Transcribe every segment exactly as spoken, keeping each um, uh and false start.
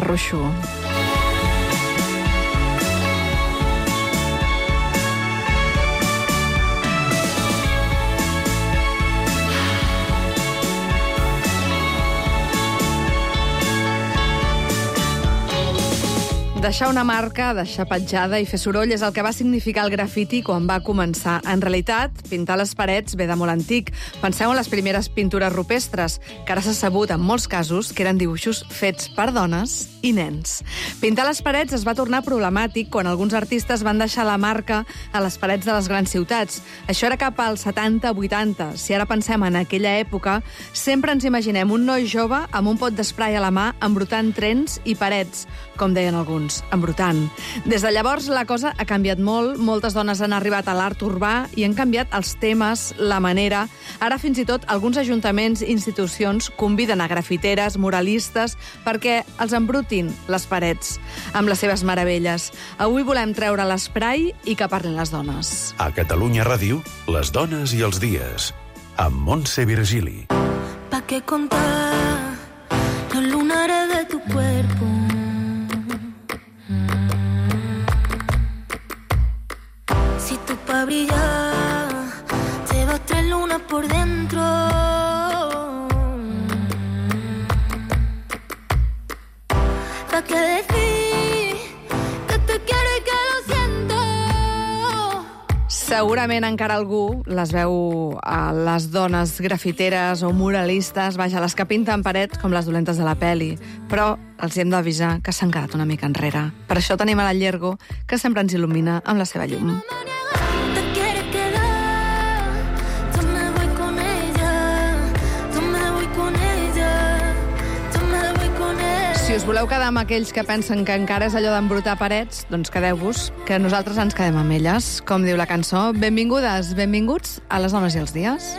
Ruixo. Deixar una marca, deixar petjada i fer soroll és el que va significar el grafiti quan va començar. En realitat, pintar les parets ve de molt antic. Penseu en les primeres pintures rupestres, que ara s'ha sabut, en molts casos, que eren dibuixos fets per dones i nens. Pintar les parets es va tornar problemàtic quan alguns artistes van deixar la marca a les parets de les grans ciutats. Això era cap als setanta vuitanta. Si ara pensem en aquella època, sempre ens imaginem un noi jove amb un pot d'esprai a la mà embrutant trens i parets, com deien alguns, embrutant. Des de llavors la cosa ha canviat molt, moltes dones han arribat a l'art urbà i han canviat els temes, la manera. Ara fins i tot alguns ajuntaments i institucions conviden a grafiteres, muralistes, perquè els embrutin les parets amb les seves meravelles. Avui volem treure l'esprai i que parlin les dones. A Catalunya Ràdio, les dones i els dies, amb Montse Virgili. ¿Pa qué contar los lunares de tu cuerpo? Si tú pa' brillar te vas tres lunas por dentro. ¿Pa' qué decir que te quiero y que lo siento? Segurament encara algú les veu a les dones grafiteres o muralistes, vaja, les que pinten parets com les dolentes de la peli, però els hem d'avisar que s'han quedat una mica enrere. Per això tenim a la Llergo, que sempre ens il·lumina amb la seva llum. Si us voleu quedar amb aquells que pensen que encara és allò d'embrutar parets, doncs quedeu-vos, que nosaltres ens quedem amb elles. Com diu la cançó, benvingudes, benvinguts a les dones i els dies.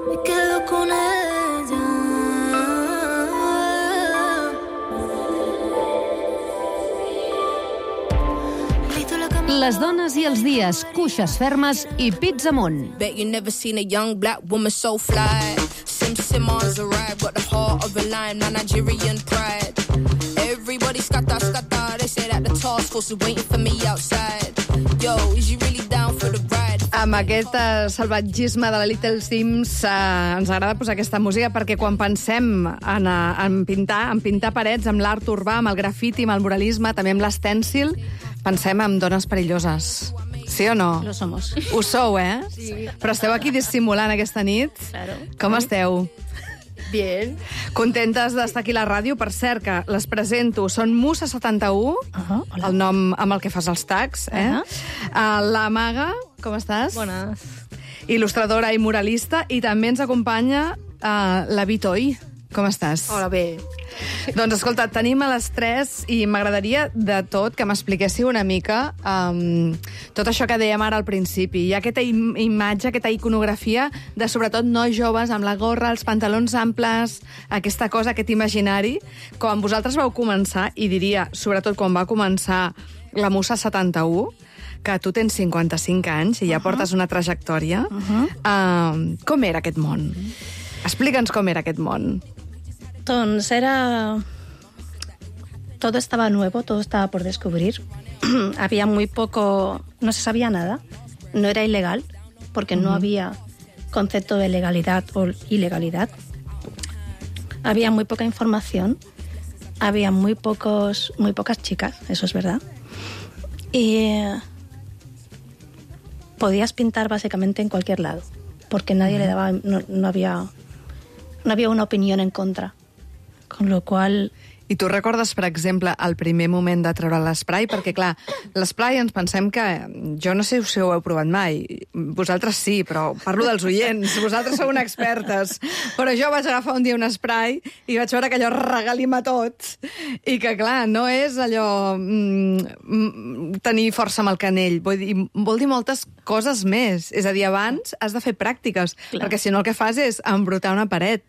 Me quedo con ella. Les dones i els dies, cuixes fermes i pits amunt. Bet you never seen a young black woman so fly. Sim Simons arrived, got the heart of a lion, my Nigerian pride. Everybody scatter, scatter, they say that the task force is waiting for me outside. Yo, is you really down for the ride? Amb aquest uh, salvatgisme de la Little Sims uh, ens agrada posar aquesta música perquè quan pensem en, uh, en pintar, en pintar parets, amb l'art urbà, amb el grafiti, amb el muralisme, també amb l'estèncil, pensem en dones perilloses. Sí o no? Lo somos. Ho sou, eh? Sí. Però esteu aquí dissimulant aquesta nit. Claro. Com esteu? Bien. Contentes d'estar aquí a la ràdio. Per cert, que les presento. Són Musa setanta-u, Uh-huh, hola. el nom amb el que fas els tags, eh? Uh-huh. Uh, la Maga, com estàs? Buenas. Il·lustradora i muralista. I també ens acompanya uh, la Vitoi. Com estàs? Hola, bé. Doncs escolta, tenim a les tres i m'agradaria de tot que m'expliquéssiu una mica um, tot això que dèiem ara al principi. Hi ha aquesta im imatge, aquesta iconografia de sobretot nois joves amb la gorra, els pantalons amples, aquesta cosa, aquest imaginari. Quan vosaltres vau començar, i diria, sobretot quan va començar la Musa setanta-u, que tu tens cinquanta-cinc anys i ja uh-huh. portes una trajectòria, uh-huh. uh, com era aquest món? Explica'ns com era aquest món. Entonces era... Todo estaba nuevo, todo estaba por descubrir. Había muy poco... No se sabía nada. No era ilegal, porque uh-huh. no había concepto de legalidad o ilegalidad. Había muy poca información. Había muy pocos, muy pocas chicas, eso es verdad. Y podías pintar básicamente en cualquier lado, porque nadie uh-huh. le daba... No, no había... No había una opinión en contra. Con lo qual... I tu recordes, per exemple, el primer moment de treure l'esprai? Perquè, clar, l'esprai ens pensem que... Jo no sé si ho heu provat mai. Vosaltres sí, però parlo dels oients. Vosaltres sou expertes. Però jo vaig agafar un dia un esprai i vaig veure que allò regalima tot. I que, clar, no és allò... Mm, tenir força amb el canell. Vull dir, vol dir moltes coses més. És a dir, abans has de fer pràctiques. Clar. Perquè si no el que fas és embrutar una paret.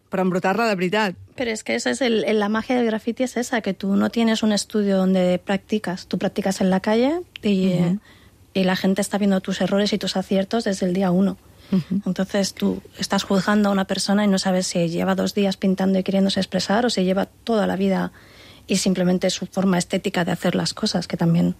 Pero embrutarla de verdad. Pero es que esa es el, la magia del graffiti, es esa, que tú no tienes un estudio donde practicas, tú practicas en la calle y, uh-huh. y la gente está viendo tus errores y tus aciertos desde el día uno. Uh-huh. Entonces tú estás juzgando a una persona y no sabes si lleva dos días pintando y queriéndose expresar o si lleva toda la vida y simplemente su forma estética de hacer las cosas, que también,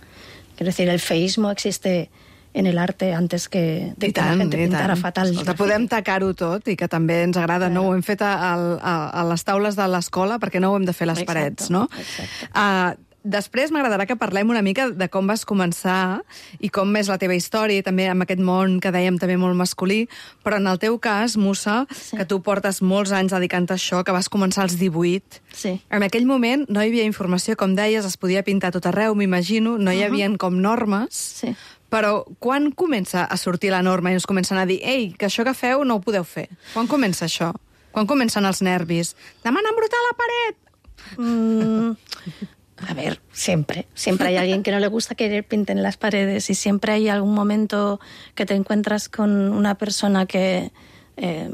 quiero decir, el feísmo existe en el arte antes que de que la gente pintara fatal. Escolta, podem tacar-ho tot i que també ens agrada, no? Ho hem fet a, a, a les taules de l'escola perquè no ho hem de fer a les Exacte, parets, no? Exacte. Uh, Després m'agradarà que parlem una mica de com vas començar i com és la teva història, i també amb aquest món que dèiem també molt masculí, però en el teu cas, Musa, sí. que tu portes molts anys dedicant a això, que vas començar als divuit, sí. en aquell moment no hi havia informació, com deies, es podia pintar tot arreu, m'imagino, no hi havia uh -huh. com normes, sí. però quan comença a sortir la norma i ens comencen a dir ei, que això que feu no ho podeu fer? Quan comença això? Quan comencen els nervis? Demà han embrutat la paret! Mm... A ver, siempre, siempre hay alguien que no le gusta que pinten las paredes y siempre hay algún momento que te encuentras con una persona que eh,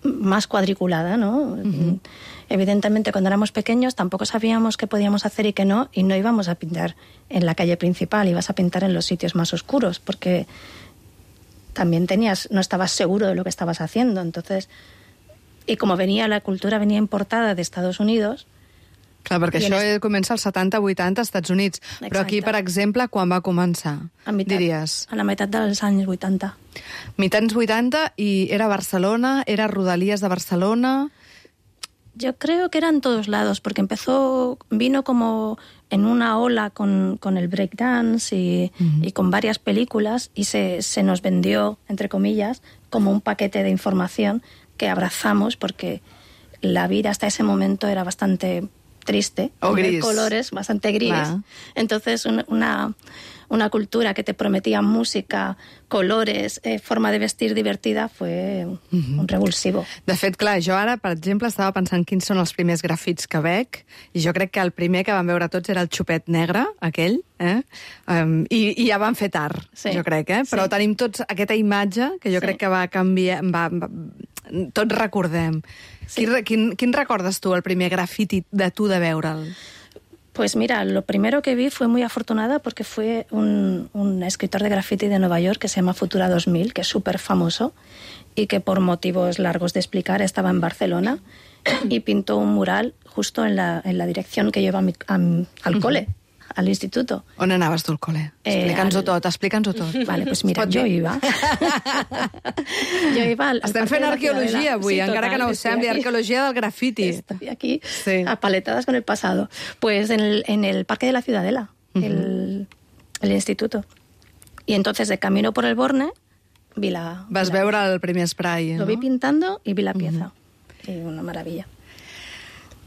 más cuadriculada, ¿no? Uh-huh. Evidentemente, cuando éramos pequeños tampoco sabíamos qué podíamos hacer y qué no, y no íbamos a pintar en la calle principal, ibas a pintar en los sitios más oscuros, porque también tenías, no estabas seguro de lo que estabas haciendo. Entonces, y como venía la cultura, venía importada de Estados Unidos. Clar, perquè I això es... comença als setanta vuitanta als Estats Units. Exacte. Però aquí, per exemple, quan va començar, a mitat, diries? A la meitat dels anys vuitanta. Mitjans vuitanta, i era Barcelona, era Rodalies de Barcelona... Yo creo que era en todos lados, porque empezó, vino como en una ola con, con el breakdance y, uh-huh. y con varias películas, y se, se nos vendió, entre comillas, como un paquete de información que abrazamos, porque la vida hasta ese momento era bastante triste, o gris. De colores, bastante gris. Ah. Entonces, un, una, una cultura que te prometía música, colores, eh, forma de vestir divertida, fue un, uh-huh. un revulsivo. De fet, clar, jo ara, per exemple, estava pensant quins són els primers grafits que veig, i jo crec que el primer que vam veure tots era el xupet negre, aquell, eh? Um, i, i ja van fer tard, sí. jo crec, eh? Però sí. tenim tots aquesta imatge que jo sí. crec que va canviar... Va, va, tots recordem. Sí. Quin, quin, quin recordes tu, el primer grafiti de tu de veure'l? Pues mira, lo primero que vi fue muy afortunada porque fue un, un escritor de graffiti de Nueva York que se llama Futura dos mil, que es súper famoso y que por motivos largos de explicar estaba en Barcelona y pintó un mural justo en la, en la dirección que lleva a mi, a, al cole, al instituto. On anaves tu al cole? Explica'ns-ho eh, tot, explica'ns-ho tot. Vale, pues mira, jo iba. jo iba al, al Estem fent arqueologia avui, sí, encara total, que no ho sembli, arqueologia del grafiti. Estoy aquí, sí. apaletadas con el pasado. Pues en el, en el Parque de la Ciudadela, uh-huh. el, el instituto. Y entonces, de camino por el Borne, vi la... Vas vi la, veure el primer spray, Lo no? vi pintando y vi la pieza. Uh-huh. Y una maravilla.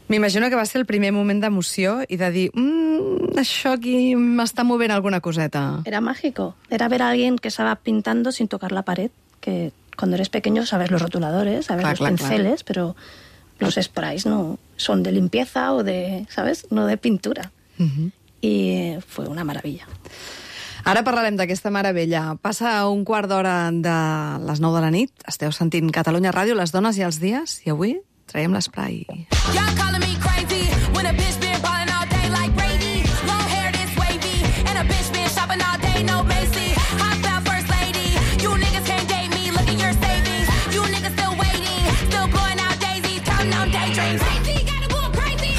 M'imagino que va ser el primer moment d'emoció i de dir, mmm, això aquí m'està movent alguna coseta. Era mágico. Era ver a alguien que estaba pintando sin tocar la pared, que cuando eres pequeño sabes los rotuladores, sabes clar, los clar, pinceles, clar. pero los sprays no son de limpieza o de, ¿sabes? No de pintura. Uh-huh. I fue una maravilla. Ara parlarem d'aquesta meravella. Passa un quart d'hora de les nou de la nit. Esteu sentint Catalunya Ràdio, les dones i els dies, i avui traiem l'esprai. Y'all calling me crazy when a bitch been ballin' all day like Brady. Long hair this wavy and a bitch been shopping all day, no Macy. Hot about first lady. You niggas can't date me, look at your savings. You niggas still waiting, still blowing out daisies, counting on daydreams. Crazy, gotta go crazy.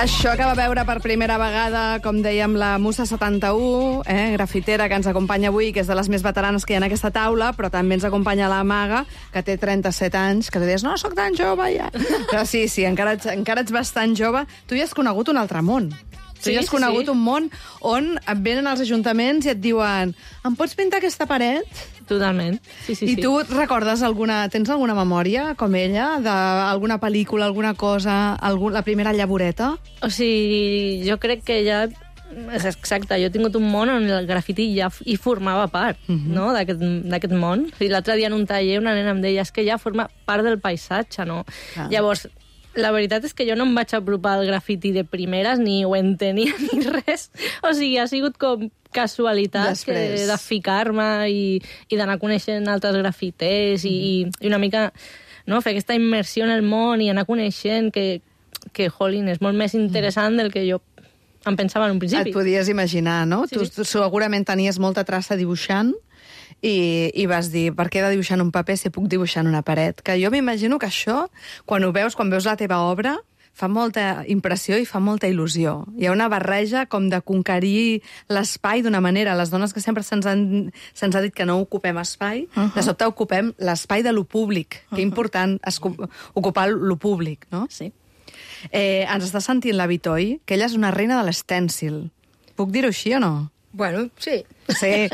Això que va veure per primera vegada, com dèiem, la Musa setanta-u, eh, grafitera, que ens acompanya avui, que és de les més veteranes que hi ha en aquesta taula, però també ens acompanya la Maga, que té trenta-set anys, que tu dius, no, sóc tan jove ja. Però sí, sí, encara ets, encara ets bastant jove. Tu ja has conegut un altre món. Tu sí, ja has conegut sí. un món on et venen als ajuntaments i et diuen, em pots pintar aquesta paret? Totalment. Sí, sí, I sí. tu recordes alguna... Tens alguna memòria, com ella, d'alguna pel·lícula, alguna cosa, algun, la primera llavoreta? O sigui, jo crec que ja... És exacte, jo he tingut un món on el grafiti ja hi formava part, uh-huh. no?, d'aquest món. O sigui, l'altre dia en un taller una nena em deia és que ja forma part del paisatge, no? Ah. Llavors, la veritat és que jo no em vaig apropar al grafiti de primeres, ni ho entenia ni res. O sigui, ha sigut com casualitat que, de ficar-me i, i d'anar coneixent altres grafiters mm. i, i una mica no, fer aquesta immersió en el món i anar coneixent que, que jolín, és molt més interessant del que jo em pensava en un principi. Et podies imaginar, no? Sí, tu, sí. tu segurament tenies molta traça dibuixant i, i vas dir, per què he de dibuixar en un paper si puc dibuixar en una paret? Que jo m'imagino que això, quan ho veus, quan veus la teva obra, fa molta impressió i fa molta il·lusió. Hi ha una barreja com de conquerir l'espai d'una manera. Les dones que sempre se'ns se'ns ha dit que no ocupem espai, uh -huh. de sobte ocupem l'espai de lo públic. Uh -huh. Que important ocupar lo públic, no? Sí. Eh, ens està sentint la Vitoi, que ella és una reina de l'estèncil. Puc dir-ho així o no? Bueno, sí. Sí.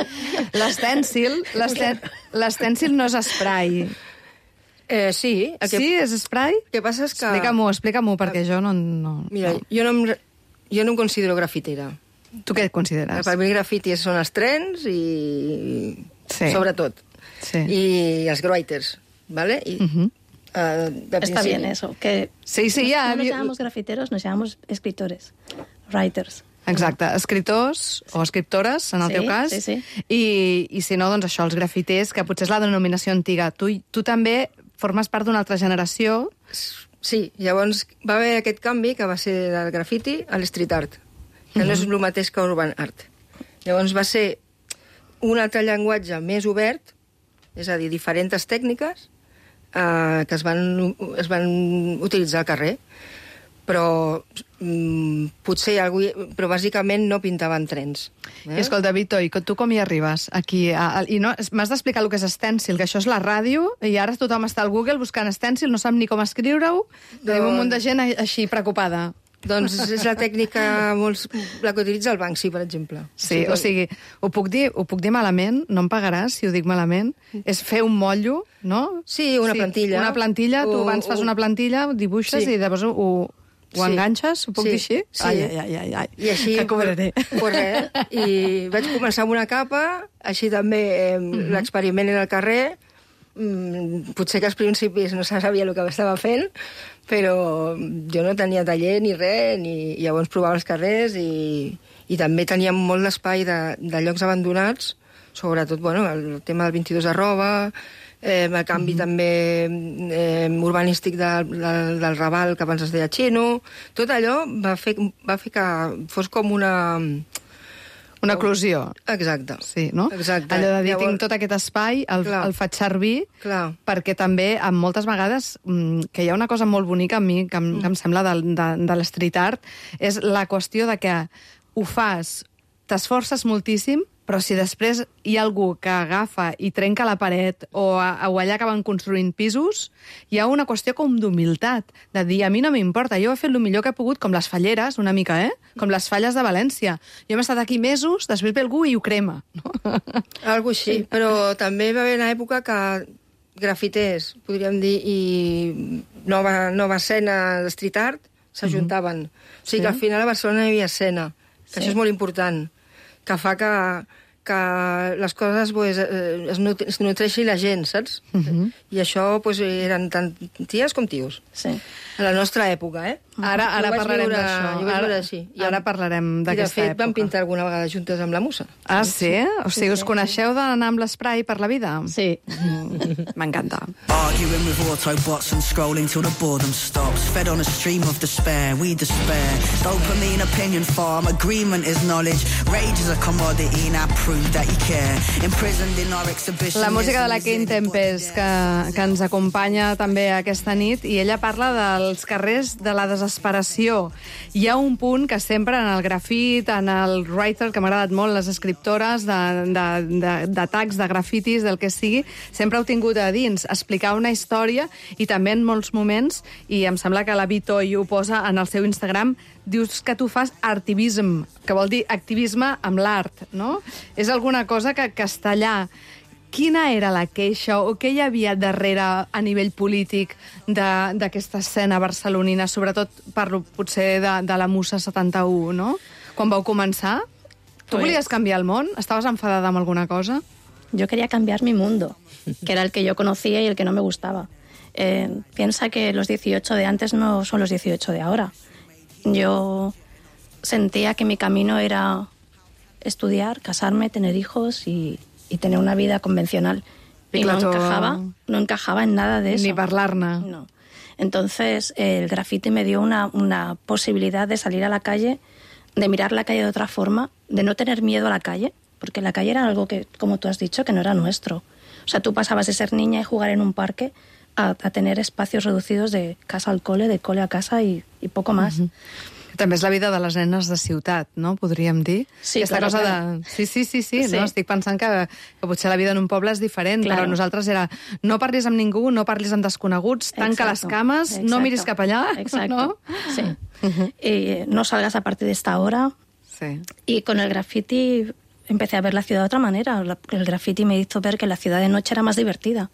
L'estèncil, l'estèncil no és spray. Eh, sí. El que... Sí, és spray? El que passa és que... Explica-m'ho, explica-m'ho, perquè jo no... no Mira, no. Jo, no em, jo no em considero grafitera. Tu què et consideres? Per mi el grafiti són els trens i... Sí. Sobretot. Sí. I els grafiters, ¿vale? Y, uh -huh. uh, de Está bien eso. Que sí, sí, no, ja... no nos llamamos grafiteros, nos llamamos escritores, writers. Exacte, escriptors o escriptores, en el sí, teu cas, sí, sí. I, i si no, doncs això, els grafiters, que potser és la denominació antiga. Tu, tu també formes part d'una altra generació. Sí, llavors va haver aquest canvi que va ser del grafiti a l'street art, que uh -huh. no és el mateix que urban art. Llavors va ser un altre llenguatge més obert, és a dir, diferents tècniques eh, que es van, es van utilitzar al carrer, però mm, potser algú, però bàsicament no pintaven trens. Eh? I escolta, Vitoi, tu com hi arribes aquí? A, a, i no, m'has d'explicar el que és estèncil, que això és la ràdio, i ara tothom està al Google buscant estèncil, no sap ni com escriure-ho, doncs... tenim un munt de gent així preocupada. Doncs és la tècnica molt, la que utilitza el Banksy, per exemple. Sí, o sigui, ho puc dir, ho puc dir malament, no em pagaràs si ho dic malament, és fer un motllo, no? Sí, una sí, plantilla. Una plantilla, tu abans fas una plantilla, dibuixes sí. i llavors ho, ho sí. enganxes, ho puc sí. dir així? Sí. Ai, ai, ai, ai, ai. I així, que cobraré. Pues res, i vaig començar amb una capa, així també eh, uh -huh. l'experiment era al carrer, mm, potser que als principis no se sabia el que estava fent, però jo no tenia taller ni res, ni llavors provava els carrers i, i també teníem molt d'espai de, de llocs abandonats, sobretot bueno, el tema del vint-i-dos arroba, eh, el canvi mm-hmm. també eh, urbanístic de, de, del Raval, que abans es deia Xino, tot allò va fer, va fer que fos com una... Una eclosió. Exacte. Sí, no? Exacte. Allò de dir, Llavors... tinc tot aquest espai, el, el faig servir, Clar. perquè també, amb moltes vegades, que hi ha una cosa molt bonica a mi, que em, mm. que em sembla de, de, de l'street art, és la qüestió de que ho fas, t'esforces moltíssim, però si després hi ha algú que agafa i trenca la paret o, o allà acaben construint pisos, hi ha una qüestió com d'humilitat, de dir, a mi no m'importa, jo he fet el millor que he pogut, com les falleres, una mica, eh? Com les falles de València. Jo hem estat aquí mesos, després ve algú i ho crema. No? Algo així, sí. Però també va haver una època que grafiters, podríem dir, i nova, nova escena de street art s'ajuntaven. Mm-hmm. O sigui sí. que al final a Barcelona hi havia escena, que sí. això és molt important, que fa que, que les coses pues, es, nut es nutreixi la gent, saps? Uh-huh. I això pues, eren tant ties com tios. Sí. A la nostra època, eh? Ara, ara parlarem d'això. Jo vaig veure així. I ara parlarem d'aquesta època. I de fet vam pintar alguna vegada juntes amb la Musa. Ah, sí? O sigui, us coneixeu d'anar amb l'esprai per la vida? Sí. Mm, m'encanta. Arguing with Autobots and scrolling till the boredom stops. Fed on a stream of despair, we despair. Dopamine opinion farm, agreement is knowledge. Rage is a commodity, now prove that you care. Imprisoned in our exhibition. La música de la Kane Tempest, que, que ens acompanya també aquesta nit, i ella parla dels carrers de la desesperació. Hi ha un punt que sempre en el grafit, en el writer, que m'ha agradat molt, les escriptores d'atacs, de, de, de grafitis, del que sigui, sempre heu tingut a dins explicar una història, i també en molts moments, i em sembla que la Vitoi ho posa en el seu Instagram, dius que tu fas artivisme, que vol dir activisme amb l'art, no? És alguna cosa que, que està allà. Quina era la queixa o què hi havia darrere a nivell polític d'aquesta escena barcelonina, sobretot parlo potser de, de la Musa setanta-u, no? Quan vau començar, tu pues... volies canviar el món? Estaves enfadada amb alguna cosa? Yo quería cambiar mi mundo, que era el que yo conocía y el que no me gustaba. Eh, piensa que los dieciocho de antes no son los dieciocho de ahora. Yo sentía que mi camino era estudiar, casarme, tener hijos y, y tener una vida convencional. Y no encajaba, no encajaba en nada de eso. Ni parlar-ne. No. Entonces el graffiti me dio una, una posibilidad de salir a la calle, de mirar la calle de otra forma, de no tener miedo a la calle, porque la calle era algo que, como tú has dicho, que no era nuestro. O sea, tú pasabas de ser niña y jugar en un parque a, a tener espacios reducidos de casa al cole, de cole a casa y, y poco más. Uh-huh. També és la vida de les nenes de ciutat, no? Podríem dir. Sí, Aquesta claro, cosa claro. de... Sí, sí, sí, sí, Sí. no? Estic pensant que, que potser la vida en un poble és diferent, Claro. però nosaltres era no parlis amb ningú, no parlis amb desconeguts, tanca Exacto, les cames, exacto. no miris cap allà, Exacto, no? sí. Uh-huh. eh, no salgas a partir de esta hora. Sí. Y con el graffiti empecé a ver la ciudad de otra manera. La- El graffiti me hizo ver que la ciudad de noche era más divertida.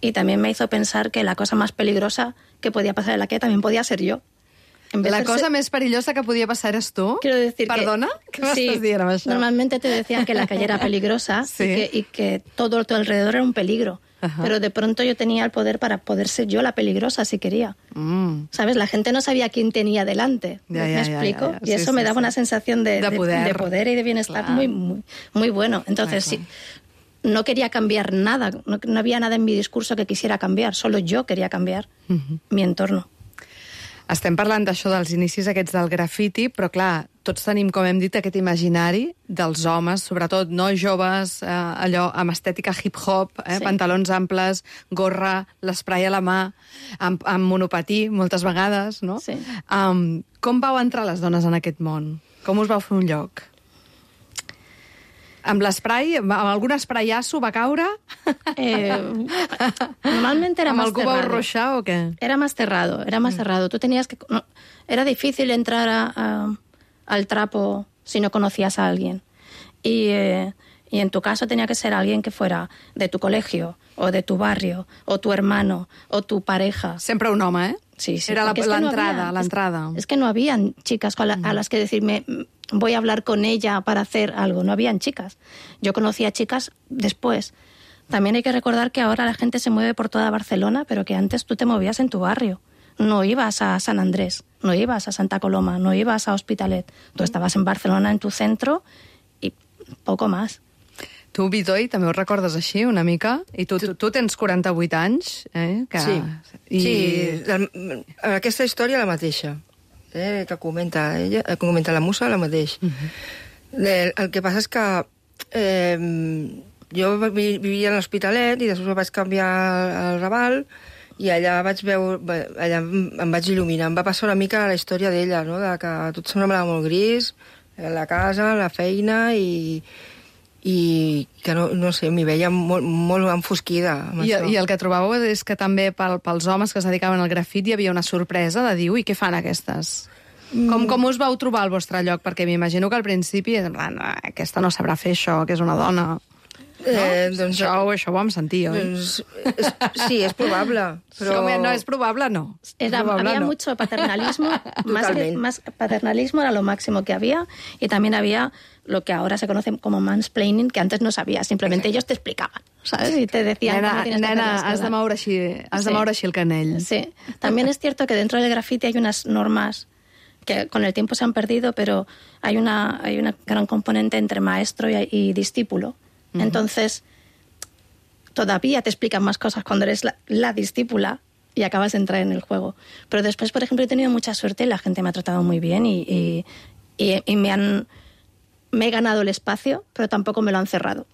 Y también me hizo pensar que la cosa más peligrosa que podía pasar en la calle también podía ser yo. En vez La de cosa ser- més perillosa que podia passar eres tu? Quiero decir Perdona? que... Què m'estàs dient amb això? Normalmente te decían que la calle era peligrosa Sí. y, que, y que todo a tu alrededor era un peligro. Ajá. Pero de pronto yo tenía el poder para poder ser yo la peligrosa si quería. Mm. ¿Sabes? La gente no sabía quién tenía delante. Ya, ¿Me ya, ya, explico? ya, ya. Y Sí, eso sí, me daba sí. una sensación de, De de- poder. de poder y de bienestar Clar. muy, muy, muy bueno. Entonces, Clar, sí, no quería cambiar nada. No, no había nada en mi discurso que quisiera cambiar. Solo yo quería cambiar Mhm. mi entorno. Estem parlant d'això dels inicis aquests del grafiti, però clar, tots tenim, com hem dit, aquest imaginari dels homes, sobretot no joves, eh, allò amb estètica hip-hop, eh, Sí. pantalons amples, gorra, l'esprai a la mà, amb, amb monopatí, moltes vegades, no? Sí. Um, com vau entrar les dones en aquest món? Com us vau fer un lloc? Amb l'esprai, amb algun espraiasso va caure? Eh, normalmente era amb más algú vau cerrado. ruixar o què? Era más cerrado, era más cerrado. Tú tenías que... no, era difícil entrar a- a- al trapo si no conocías a alguien. Y, eh, y en tu caso tenía que ser alguien que fuera de tu colegio, o de tu barrio, o tu hermano, o tu pareja. Sempre un home, eh? Sí, sí. Era la- porque es que no l'entrada, había- l'entrada. Es, es que no habían chicas a, la- a las que decirme, "Mm, voy a hablar con ella para hacer algo". No habían chicas. Yo conocía chicas después. También hay que recordar que ahora la gente se mueve por toda Barcelona, pero que antes tú te movías en tu barrio. No ibas a San Andrés, no ibas a Santa Coloma, no ibas a Hospitalet. Tú estabas en Barcelona, en tu centro, y poco más. Tu, Vitoi, també ho recordes així, una mica? I tu, tu, tu tens quaranta-vuit anys, eh? Que... Sí, I... sí la, aquesta història la mateixa, eh, que comenta ella, que comenta la musa, la mateix. Uh -huh. el, el que passa és que eh, jo vi- vivia a l'Hospitalet i després vaig canviar al Raval i allà vaig veure, allà em vaig il·luminar. Em va passar una mica la història d'ella, no? De que tot semblava molt gris, la casa, la feina i i que no, no sé, m'hi veia molt, molt enfosquida amb I, això. I el que trobàveu és que també pel, pels homes que es dedicaven al grafit hi havia una sorpresa de dir, ui, què fan aquestes? Mm. Com, com us vau trobar al vostre lloc? Perquè m'imagino que al principi és en plan, "Ah, aquesta no sabrà fer això, que és una dona". Eh, No? doncs, Això, això ho vam sentir, oi? doncs, és, sí, és probable, però... Com, no, és probable, no. Era, probable, había no. mucho paternalismo, más, que, Totalmente. más paternalismo era lo máximo que había, y también había lo que ahora se conoce como mansplaining, que antes no sabías, simplemente ellos te explicaban, ¿sabes? Y te decían cómo Nena, tienes que hacer nena las has, de cosas. moure així, has de Sí. moure així el canell. Sí. También es cierto que dentro del graffiti hay unas normas que con el tiempo se han perdido, pero hay una, hay una gran componente entre maestro y, y discípulo. Uh-huh. Entonces, todavía te explican más cosas cuando eres la, la discípula y acabas de entrar en el juego. Pero después, por ejemplo, he tenido mucha suerte y la gente me ha tratado muy bien y, y, y, y me han me he ganado el espacio, però tampoc me lo han cerrado.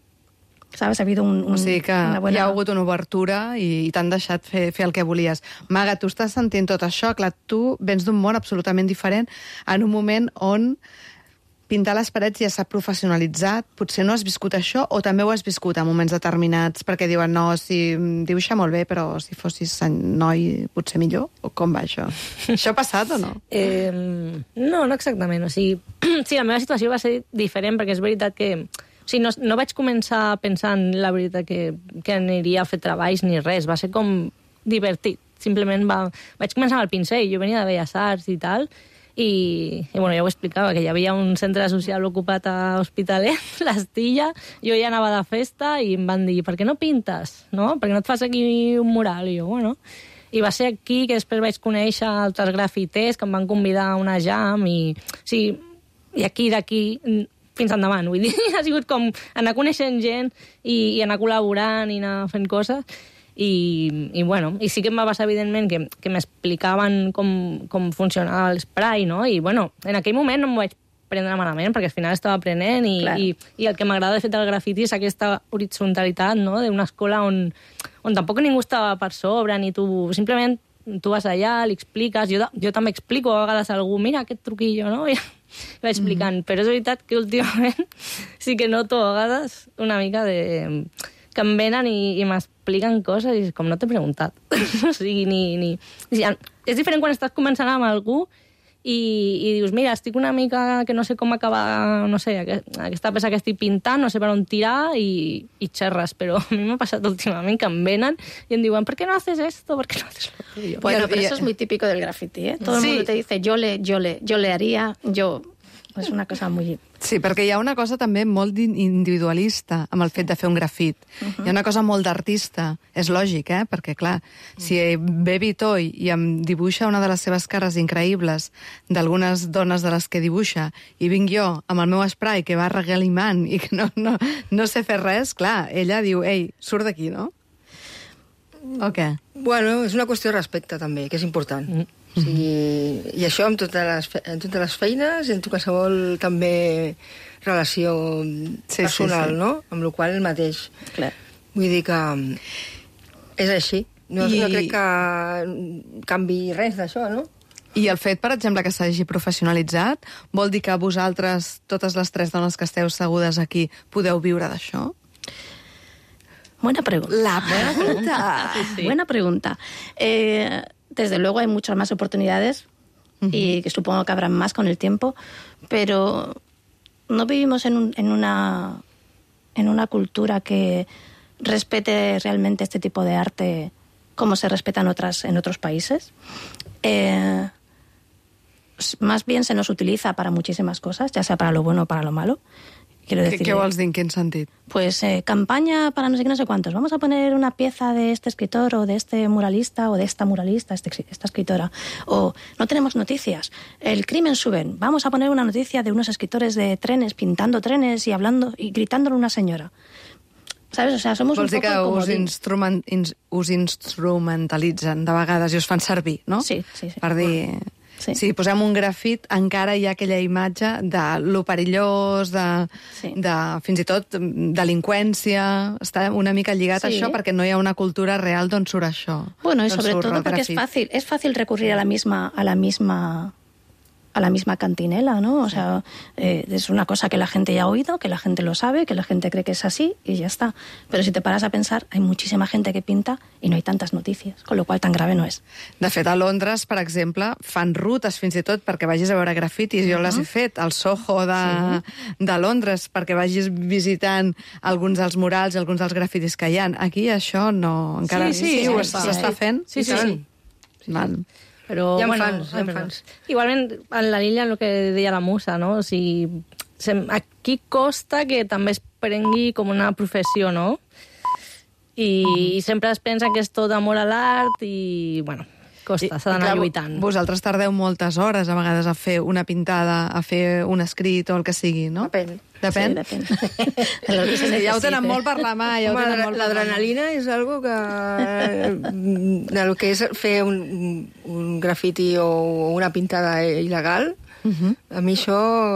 ¿Sabes? Ha habido un, un, O sigui que una buena... hi ha hagut una obertura i, i t'han deixat fer, fer el que volies. Maga, tu estàs sentint tot això. Clar, tu vens d'un món absolutament diferent en un moment on pintar les parets ja s'ha professionalitzat. Potser no has viscut això o també ho has viscut en moments determinats perquè diuen, no, si dibuixa molt bé, però si fossis noi potser millor? O com va això? Això ha passat o no? Eh, no, no exactament. O sigui, sí, la meva situació va ser diferent perquè és veritat que... O sigui, no, no vaig començar pensant, la veritat, que, que aniria a fer treballs ni res. Va ser com divertit. Simplement va... vaig començar amb el pincell. Jo venia de Belles Arts i tal, i, i bueno, ja ho explicava, que hi havia un centre social ocupat a Hospitalet, l'Estilla, jo ja anava de festa i em van dir, per què no pintes? No? Per què no et fas aquí un mural? I jo, bueno... I va ser aquí que després vaig conèixer altres grafiters que em van convidar a una jam i, o sigui, i aquí d'aquí fins endavant. Vull dir, ha sigut com anar coneixent gent i, i anar col·laborant i anar fent coses. I, i bueno, i sí que em va passar, evidentment, que, que m'explicaven com, com funcionava l'esprai, no? I, bueno, en aquell moment no m'ho vaig prendre malament, perquè al final estava aprenent i, Clar. i, i el que m'agrada de fet del grafiti és aquesta horitzontalitat, no?, d'una escola on, on tampoc ningú estava per sobre, ni tu simplement tu vas allà, li expliques, jo, jo també explico a vegades a algú, mira aquest truquillo, no?, i vaig explicant, mm. però és veritat que últimament sí que noto a vegades una mica de... que em venen i, i m'expliquen coses i com no t'he preguntat. O sigui, ni... ni... O sigui, és diferent quan estàs començant amb algú i, i dius, mira, estic una mica que no sé com acabar, no sé, aquesta peça que estic pintant, no sé per on tirar i, i xerres, però a mi m'ha passat últimament que em venen i em diuen, ¿por qué no haces esto? ¿Por qué no haces lo tuyo? Bueno, pero eso es muy típico del graffiti, ¿eh? Todo el Sí. mundo te dice, yo le, yo le, yo le haría, yo... És una cosa muy... Sí, perquè hi ha una cosa també molt individualista amb el fet de fer un grafit. Uh-huh. Hi ha una cosa molt d'artista. És lògic, eh? Perquè, clar, si ve Vitoy i em dibuixa una de les seves cares increïbles d'algunes dones de les que dibuixa i vinc jo amb el meu spray que va regalimant i que no, no, no sé fer res, clar, ella diu, ei, surt d'aquí, no? O què? Bueno, és una qüestió de respecte, també, que és important. Mm. O sigui, i això amb totes les, fe en totes les feines i en qualsevol també relació sí, personal, sí, sí. no? Amb la qual el mateix. Clar. Vull dir que és així. No, I... no crec que canvi res d'això, no? I el fet, per exemple, que s'hagi professionalitzat, vol dir que vosaltres, totes les tres dones que esteu segudes aquí, podeu viure d'això? Buena pregunta. La pregunta. Sí, sí. Buena pregunta. Eh... Desde luego hay muchas más oportunidades uh-huh. y que supongo que habrán más con el tiempo, pero no vivimos en, un, en, una, en una cultura que respete realmente este tipo de arte como se respeta en, otras, en otros países. Eh, más bien se nos utiliza para muchísimas cosas, ya sea para lo bueno o para lo malo. Quiero decir, ¿Qué vols dir? En quin sentit? Pues eh, campaña para no sé qué, no sé cuántos. Vamos a poner una pieza de este escritor o de este muralista o de esta muralista, este, esta escritora. O no tenemos noticias. El crimen suben. Vamos a poner una noticia de unos escritores de trenes pintando trenes y hablando y gritándole a una señora. ¿Sabes? O sea, somos Vols un dir poco que us, comodín. instrument, ins, us instrumentalitzen de vegades i us fan servir, no? Sí, sí, sí. Per dir... Sí. Si posem un grafit, encara hi ha aquella imatge de lo perillós, de, Sí. de fins i tot delinqüència. Està una mica lligat Sí. a això perquè no hi ha una cultura real d'on surt això. Bueno, y d'on sobre surt todo el porque es grafit. fácil, es fácil recurrir a la misma, a la misma, a la misma cantinela, ¿no? O sea, eh, es una cosa que la gente ya ha oído, que la gente lo sabe, que la gente cree que es así y ya está. Pero si te paras a pensar, hay muchísima gente que pinta y no hay tantas noticias, con lo cual tan grave no es. De fet, a Londres, per exemple, fan rutes fins i tot perquè vagis a veure grafitis. Jo les he fet al Soho de, sí. de Londres perquè vagis visitant alguns dels murals i alguns dels grafitis que hi ha. Aquí això no... Encara Sí, sí, sí, sí, ho sí, s'està sí. fent? Sí, sí, sí. sí. Val. Però, Hi ha bueno, fans, hi ha ai, perdó. fans. Igualment, en la línia, el que deia la Musa, no? O sigui, sem- aquí costa que també es prengui com una professió, no? I, i sempre es pensa que és tot amor a l'art i, bueno, costa, s'ha d'anar lluitant. Vosaltres tardeu moltes hores, a vegades, a fer una pintada, a fer un escrit o el que sigui, no? Depèn. Depèn? Sí, depèn. De lo que se Sí, ja ho necesite. tenen molt per la mà. Ja ho Home, tenen molt per la mà. l'adrenalina és algo que... de lo que és fer un, un grafiti o una pintada il·legal, Uh-huh. a mi això,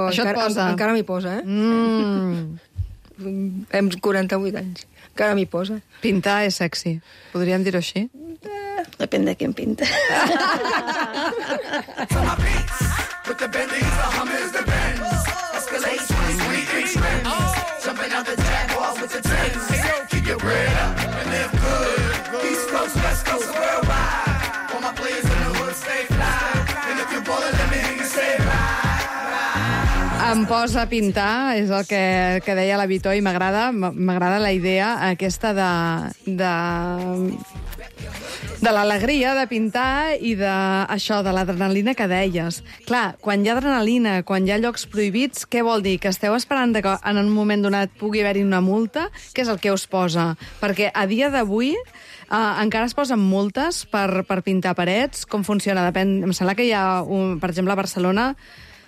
Això et encara, posa. encara m'hi posa, eh? Mm. Hem quaranta-vuit anys. Encara m'hi posa. Pintar és sexy. Podríem dir-ho així? Depende de quién pinte. Em posa a pintar, és el que, que deia la Vitoy, m'agrada m'agrada la idea aquesta de, de, de l'alegria de pintar i de, això, de l'adrenalina que deies. Clar, quan hi ha adrenalina, quan hi ha llocs prohibits, què vol dir? Que esteu esperant que en un moment donat pugui haver-hi una multa? Què és el que us posa? Perquè a dia d'avui Uh, encara es posen multes per, per pintar parets? Com funciona? Depèn. Em sembla que hi ha, un, per exemple, a Barcelona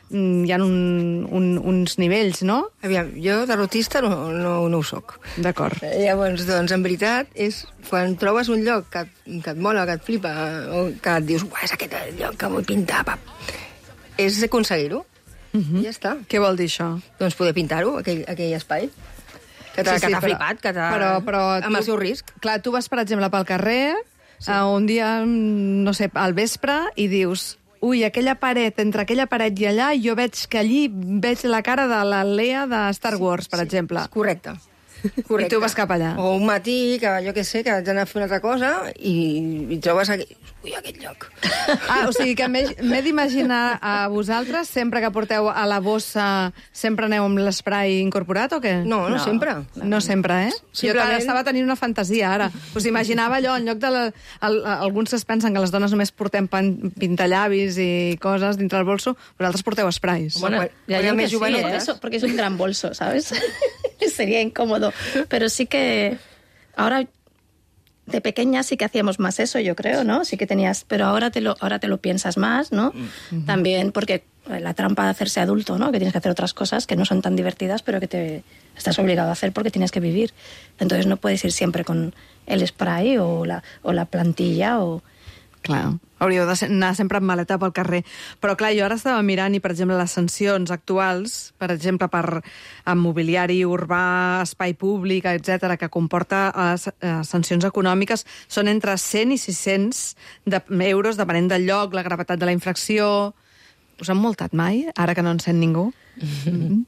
mm, hi ha un, un, uns nivells, no? Aviam, jo derrotista no, no, no ho soc. D'acord. Llavors, doncs, en veritat, és quan trobes un lloc que, et- que et mola, que et flipa, o que et dius, uah, és aquest el lloc que vull pintar, pap. És aconseguir-ho. I ja està. Què vol dir això? Doncs poder pintar-ho, aquell, aquell espai. Que t'ha Sí, sí, sí, sí, però- flipat, que t'ha... però- però amb tu- el seu risc. Clar, tu vas, per exemple, pel carrer, sí. uh, un dia, mm, no sé, al vespre, i dius... Ui, aquella paret, entre aquella paret i allà, jo veig que allí veig la cara de la Leia de Star Wars, per sí, exemple. Correcte. Correcte. I tu vas cap allà. O un matí, que jo què sé, que haig d'anar a fer una altra cosa i, i trobes aquell... Ui, aquest lloc. Ah, o sigui que m'he m'he d'imaginar a vosaltres, sempre que porteu a la bossa, sempre aneu amb l'esprai incorporat o què? No, no, no sempre. No sempre, eh? Simplement- Jo estava tenint una fantasia, ara. Us imaginava allò, en lloc de... La, el, alguns es pensen que les dones només portem pan, pintallavis i coses dintre el bolso, vosaltres porteu esprais. Bueno, Quan- ya quan yo era que més sí, jovenetes. ¿eh? Eso, porque es un gran bolso, ¿sabes? Sería incómodo. Pero sí que ahora de pequeña sí que hacíamos más eso, yo creo, ¿no? Sí que tenías, pero ahora te lo ahora te lo piensas más, ¿no? Mm-hmm. También porque la trampa de hacerse adulto, ¿no? Que tienes que hacer otras cosas que no son tan divertidas, pero que te estás obligado a hacer porque tienes que vivir. Entonces no puedes ir siempre con el spray o la o la plantilla o Clar, hauríeu d'anar sempre amb maleta pel carrer. Però clar, jo ara estava mirant i, per exemple, les sancions actuals, per exemple, per amb mobiliari urbà, espai públic, etcètera, que comporta eh, sancions econòmiques, són entre cent i sis-cents de, euros, depenent del lloc, la gravetat de la infracció. Us han multat mai, ara que no en sent ningú? Mm-hmm.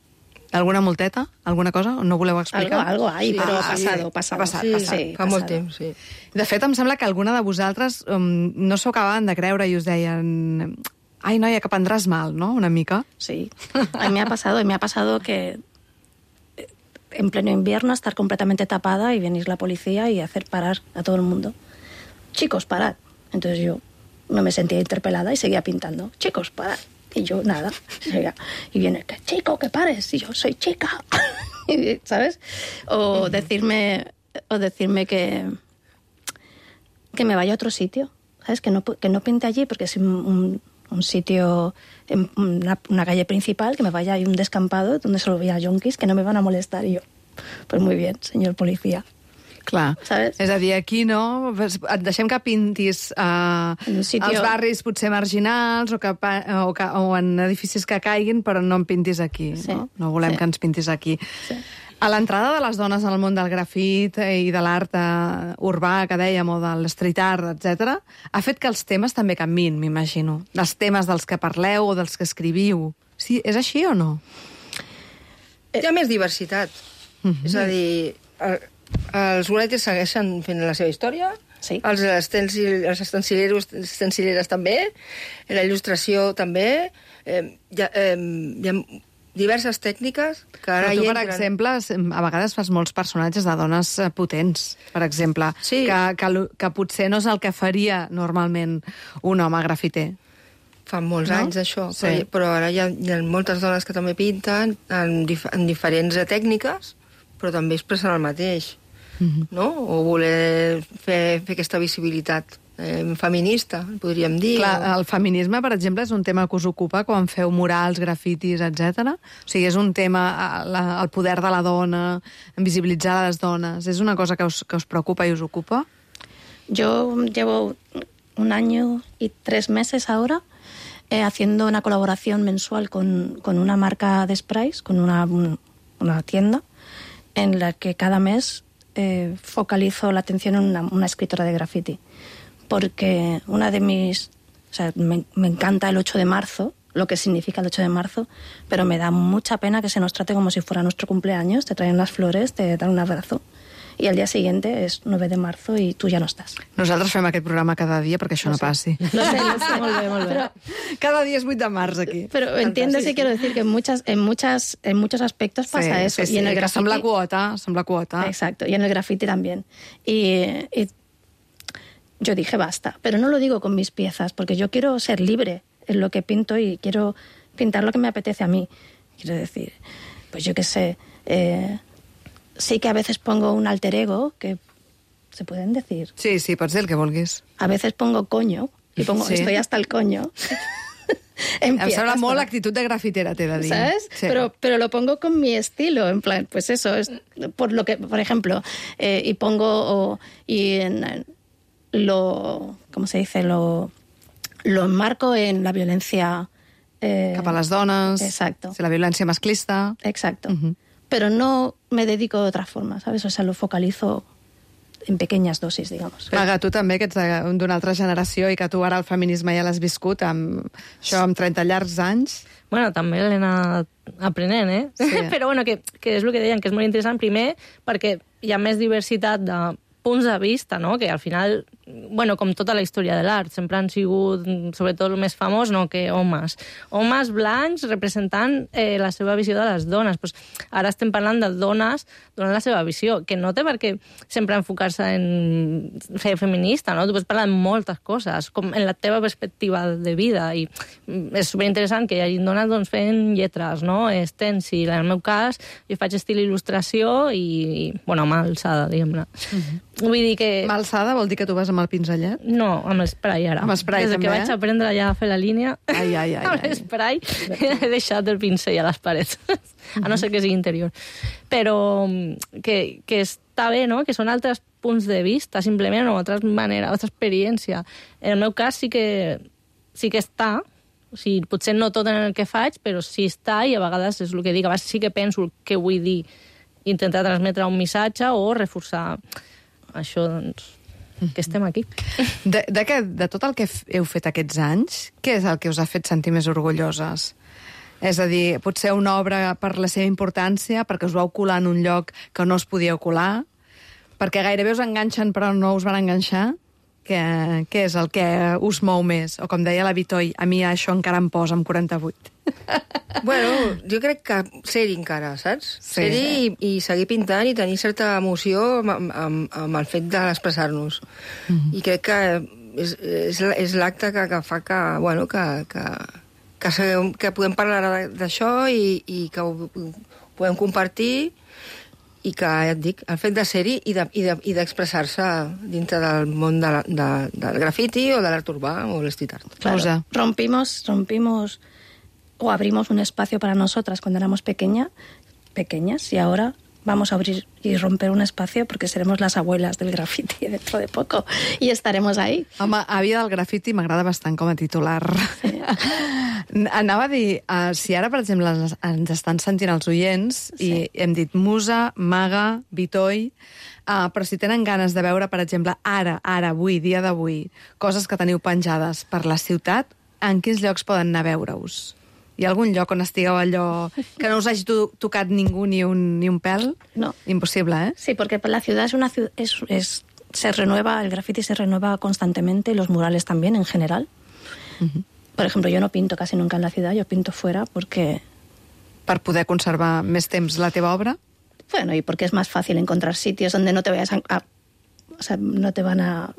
¿Alguna multeta? ¿Alguna cosa? No voleu explicar? algo, algo hay, Sí, pero ah, ha pasado, sí. pasado. Ha passat, Sí, passat. sí, Fa molt temps, sí. De fet, em sembla que alguna de vosaltres um, no s'ho acabaven de creure i us deien... Ai, noia, que prendràs mal, ¿no? Una mica. Sí, a mí me ha pasado, y me ha pasado que en pleno invierno estar completamente tapada y venir la policía y hacer parar a todo el mundo. Chicos, parad. Entonces yo no me sentía interpelada y seguía pintando. Chicos, parad. Y yo, nada. Y viene, que chico, que pares. Y yo, soy chica. ¿Sabes? O decirme, o decirme que, que me vaya a otro sitio. ¿Sabes? Que no, que no pinte allí porque es un, un, un sitio, en una, una calle principal, que me vaya a un descampado donde solo veía yonkis que no me van a molestar. Y yo, pues muy bien, señor policía. Clar. ¿Sabes? És a dir, aquí no... Et deixem que pintis uh, En un sitio- als barris potser marginals o, que, pa- o, que, o en edificis que caiguin, però no en pintis aquí. Sí. No, no volem Sí. que ens pintis aquí. Sí. A l'entrada de les dones al món del grafit i de l'art eh, urbà, que dèiem, o de l'street art, etcètera, ha fet que els temes també canvin, m'imagino. Els temes dels que parleu o dels que escriviu. Sí, és així o no? Hi ha més diversitat. Mm-hmm. És a dir, el, els boletes segueixen fent la seva història, Sí. els, estencil, els estencileros, estencileres també, la il·lustració també, eh, hi, ha, eh, hi ha diverses tècniques que ara Però tu, hi per entren. exemple, a vegades fas molts personatges de dones eh, potents, per exemple, Sí. que, que, lo- que potser no és el que faria normalment un home grafiter. Fa molts No? anys, això. Sí. Però, però ara hi ha, hi ha moltes dones que també pinten en, dif en diferents tècniques, però també expressen el mateix. Mm-hmm. No? O voler fer, fer aquesta visibilitat eh, feminista, podríem dir. Clar, o... el feminisme, per exemple, és un tema que us ocupa quan feu murals, grafitis, etcètera. O sigui, és un tema, eh, la, el poder de la dona, visibilitzar les dones. És una cosa que us, que us preocupa i us ocupa? Yo llevo un año y tres meses ahora eh, haciendo una colaboración mensual con, con una marca de sprays, con una, un- una tienda, en la que cada mes eh, focalizo la atención en una, una escritora de graffiti. Porque una de mis... O sea, me, me encanta el ocho de marzo, lo que significa el ocho de marzo, pero me da mucha pena que se nos trate como si fuera nuestro cumpleaños, te traen las flores, te dan un abrazo, y al día siguiente es nueve de marzo y tú ya no estás. Nosaltres fem aquest programa cada dia perquè això no, passi. Lo sé, lo sé, molt bé, molt bé. Pero, Cada dia és vuit de març, aquí. pero entiendes y quiero decir que en muchas, en muchas, en muchos aspectos pasa sí, eso. Sí, sí, y en el que som la graffiti, quota, som la quota. exacto, y en el graffiti también. Y, y yo dije basta, pero no lo digo con mis piezas, porque yo quiero ser libre en lo que pinto y quiero pintar lo que me apetece a mí. Quiero decir, pues yo qué sé, eh, sí que a veces pongo un alter ego, que se pueden decir. Sí, sí, pots dir el que vulguis. A veces pongo coño, y pongo Sí. estoy hasta el coño. Em sembla molt l'actitud de grafitera, t'he de dir. ¿Sabes? Sí. Pero, pero lo pongo con mi estilo, en plan, pues eso, es por lo que, por ejemplo, eh, y pongo, o, y en, en lo, ¿cómo se dice? Lo, lo enmarco en la violencia Eh, Cap a les dones. Exacto. La violència masclista. Exacto. Uh-huh. Pero no me dedico de otra forma, ¿sabes? O sea, lo focalizo en pequeñas dosis, digamos. Maga, tu també, que ets de- d'una altra generació i que tu ara el feminisme ja l'has viscut amb, això, amb trenta llargs anys. Bueno, també l'he anat aprenent, eh? Sí. Però bueno, que, que és el que deien, que és molt interessant, primer, perquè hi ha més diversitat de punts de vista, no? Que al final, bueno, com tota la història de l'art, sempre han sigut, sobretot el més famós, no? Que homes. Homes blancs representant eh, la seva visió de les dones. Pues ara estem parlant de dones donant la seva visió, que no té per què sempre enfocar-se en ser feminista, no? Tu pots parlar de moltes coses, com en la teva perspectiva de vida, i és superinteressant que hi hagi dones doncs, fent lletres, no? Stencil. En el meu cas, jo faig estil il·lustració i, i bueno, mà alçada, diguem-ne. Uh-huh. Vull dir que... Mà alçada vol dir que tu vas amb el pinzellet? No, amb l'esprai ara. Amb esprai Des també, que vaig eh? aprendre ja a fer la línia, Ai, ai, ai, amb ai. l'esprai he deixat el pincell a les parets, a no ser que sigui interior. Però que, que està bé, no?, que són altres punts de vista, simplement, o altres maneres, altra experiència. En el meu cas sí que, sí que està, o sigui, potser no tot en el que faig, però sí està, i a vegades és el que dic, a vegades sí que penso el que vull dir, intentar transmetre un missatge o reforçar això, doncs, que estem aquí. De, de, què, de tot el que f- heu fet aquests anys, què és el que us ha fet sentir més orgulloses? És a dir, potser una obra per la seva importància, perquè us vau colar en un lloc que no us podíeu colar, perquè gairebé us enganxen però no us van enganxar? Què, què és el que us mou més? O com deia la Vitoi, a mi això encara em posa amb quaranta-vuit. Bueno, jo crec que ser-hi encara, saps? Sí. Ser-hi i, i seguir pintant i tenir certa emoció amb, amb, amb el fet d'expressar-nos. Mm-hmm. I crec que és, és, és l'acte que, que fa que, bueno, que, que, que, seguem, que podem parlar ara d'això i, i que ho, ho podem compartir, i que, ja et dic, el fet de ser-hi i de, i de, i d'expressar-se dintre del món de, la- de, del grafiti o de l'art urbà o el street art. Claro, Rosa. rompimos, rompimos o abrimos un espacio para nosotras cuando éramos pequeña, pequeñas, y ahora vamos a abrir y romper un espacio porque seremos las abuelas del graffiti dentro de poco y estaremos ahí. Home, àvia del grafiti m'agrada bastant com a titular. Sí. Anava a dir, uh, si ara, per exemple, ens, ens estan sentint els oients, sí, i hem dit Musa, Maga, Vitoi, uh, però si tenen ganes de veure, per exemple, ara, ara, avui, dia d'avui, coses que teniu penjades per la ciutat, en quins llocs poden anar a veure-us? Hi ha algun lloc on estigueu allò que no us hagi to tocat ningú ni un, ni un pèl? No. Impossible, eh? Sí, porque la ciudad es una ciudad, es, es, se renueva, el graffiti se renueva constantemente, y los murales también en general. Uh-huh. Por ejemplo, yo no pinto casi nunca en la ciudad, yo pinto fuera porque, Per poder conservar més temps la teva obra? bueno, y porque es más fácil encontrar sitios donde no te vayas a, a- o sea, no te van a...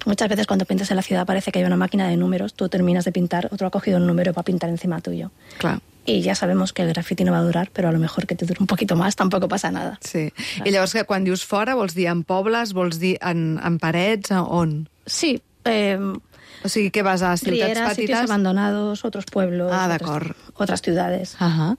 Muchas veces cuando pintas en la ciudad parece que hay una máquina de números, tú terminas de pintar, otro ha cogido un número para pintar encima tuyo. Clar. Y ya sabemos que el graffiti no va a durar, pero a lo mejor que te dure un poquito más, tampoco pasa nada. Sí. I llavors, que quan dius fora, vols dir en pobles, vols dir en, en parets, a on? Sí, eh, O sigui, que vas a ciutats Riera, sitios petites? abandonados, otros pueblos, Ah, otras, d'acord. otras ciudades. Uh-huh.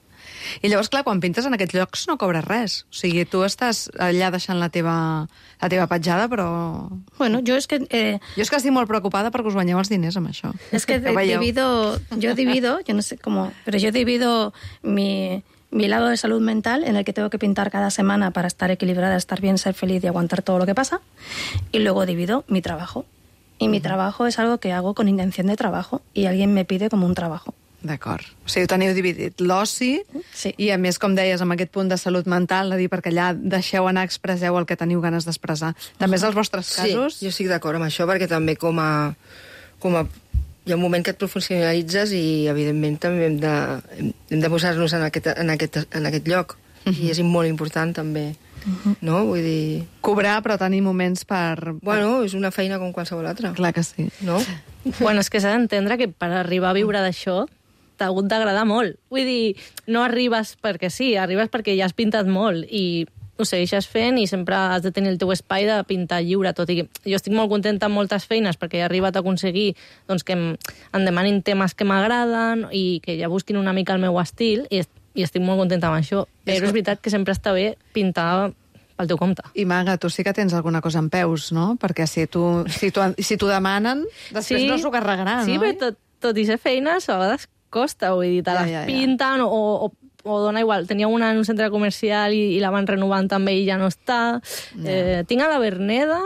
I llavors, clar, quan pintes en aquests llocs no cobres res. O sigui, tu estàs allà deixant la teva, la teva petjada, però... Bueno, yo es que... Eh, Jo és que estic molt preocupada perquè us guanyeu els diners amb això. es que Ja ho veieu. divido, yo divido, yo no sé cómo, pero yo divido mi, mi lado de salud mental, en el que tengo que pintar cada semana para estar equilibrada, estar bien, ser feliz y aguantar todo lo que pasa, y luego divido mi trabajo. Y mi trabajo es algo que hago con intención de trabajo, y alguien me pide como un trabajo. D'acord. O sigui, ho teniu dividit. L'oci, Sí. i a més, com deies, amb aquest punt de salut mental, de dir, perquè allà deixeu anar, expresseu el que teniu ganes d'expressar. També és els vostres casos? Sí, jo estic d'acord amb això, perquè també com a, com a... Hi ha un moment que et professionalitzes i, evidentment, també hem de, hem, hem de posar-nos en, aquest, en, aquest, en aquest lloc. Uh -huh. I és molt important, també. Uh -huh. No? Vull dir... Cobrar, però tenir moments per... Bueno, és una feina com qualsevol altra. Clar que sí. No? Bueno, és que s'ha d'entendre que per arribar a viure d'això t'ha hagut d'agradar molt. Vull dir, no arribes perquè sí, arribes perquè ja has pintat molt i ho segueixes fent i sempre has de tenir el teu espai de pintar lliure, tot i que jo estic molt contenta amb moltes feines perquè he arribat a aconseguir doncs, que em, em demanin temes que m'agraden i que ja busquin una mica el meu estil i, est i estic molt contenta amb això. Però és veritat que sempre està bé pintar pel teu compte. I, Maga, tu sí que tens alguna cosa en peus, no? Perquè si tu, si tu, si t'ho demanen, després Sí. no s'ho carregarà, Sí, no? però tot, tot i ser feines, a vegades costa, vull dir, te Ja, les ja, ja. pinten o, o, o dona igual. Tenia una en un centre comercial i, i la van renovant també i ja no està. Eh, tinc a la Verneda,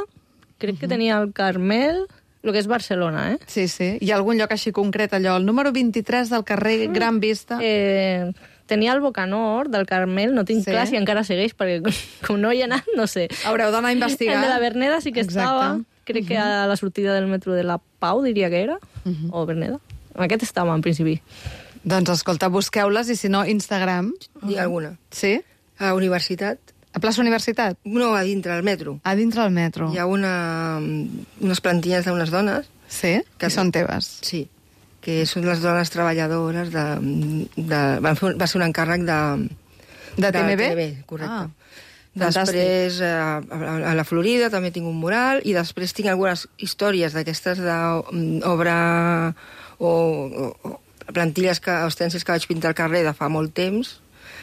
crec que tenia el Carmel, el que és Barcelona, eh? Sí, sí. Hi ha algun lloc així concret, allò? El número vint-i-tres del carrer Gran Vista? Eh, tenia el Bocanor del Carmel, no tinc Sí. clar si encara segueix, perquè com no hi he anat, no sé. Haureu d'anar a investigar. El de la Verneda sí que Exacte. estava, crec que a la sortida del metro de la Pau, diria que era, o Verneda. Aquest estava, en principi. Doncs escolta, busqueu-les i si no, Instagram. Hi ha alguna. Sí? A la universitat? A plaça Universitat? No, a dintre, al metro. A dintre del metro. Hi ha una, unes plantilles d'unes dones. Sí? Que són teves? Sí, que són les dones treballadores de... de van fer, va ser un encàrrec de... De T M B? De T M B, correcte. Ah, fantàstic. Després, a, a, a la Florida també tinc un mural i després tinc algunes històries d'aquestes d'obra o, o, o plantilles, que, ostències que vaig pintar al carrer de fa molt temps,